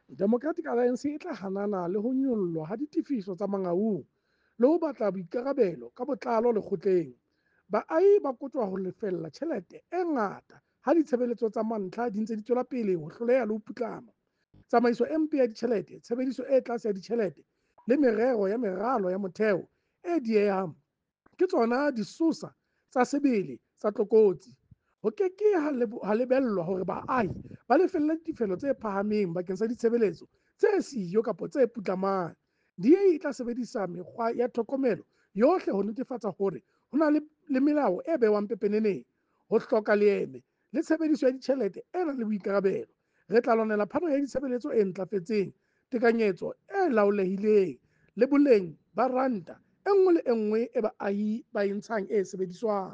Democratic Alliance e tla hanana le ho nyollwa ha ditefiso tsa Mangaung le ho batla boikarabelo ka botlalo lekgotleng. Baahi ba kotjwa ho lefella tjhelete e ngata ha ditshebeletso tsa mantlha di ntse di tswela pele ho hloleha le ho putlama. Tsamaiso e mpe ya ditjhelete, tshebediso e tlase ya ditjhelete le merero ya meralo ya motheo e diehang ke tsona disosa tsa sebele tsa tlokotsi. Ho ke ke ha lebellwa hore baahi ba lefelle ditefello tse phahameng bakeng sa ditshebeletso tse siyo kapa tse putlamang. DA e tla sebedisa mekgwa ya tlhokomelo yohle ho netefatsa hore ho na le melao e behwang pepeneneng, ho hloka leeme le tshebediso ya ditjhelete e nang le boikarabelo. Re tla lwanela phano ya ditshebeletso e ntlafetseng, tekanyetso e laolehileng le boleng ba ranta e nngwe le e nngwe e baahi ba e ntshang e sebediswang.